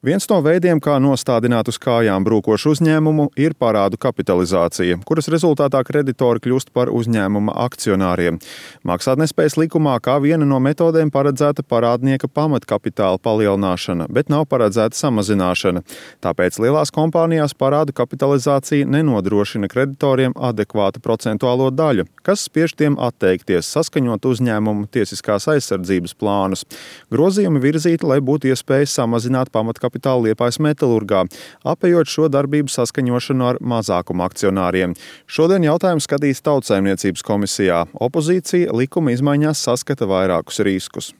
Viens no veidiem, kā nostādināt uz kājām brūkošu uzņēmumu, ir parādu kapitalizācija, kuras rezultātā kreditori kļūst par uzņēmuma akcionāriem. Maksātnespējas likumā kā viena no metodēm paredzēta parādnieka pamatkapitāla palielināšana, bet nav paredzēta samazināšana. Tāpēc lielās kompānijās parādu kapitalizācija nenodrošina kreditoriem adekvātu procentuālo daļu, kas spiež tiem atteikties, saskaņot uzņēmumu tiesiskās aizsardzības plānus. Grozījumi virzīti, lai būtu iespēja samazināt pamatkapitālu Liepājas metalurgā, apējot šo darbību saskaņošanu ar mazākuma akcionāriem. Šodien jautājumu skatīs Tautsaimniecības komisijā. Opozīcija likuma izmaiņās saskata vairākus riskus.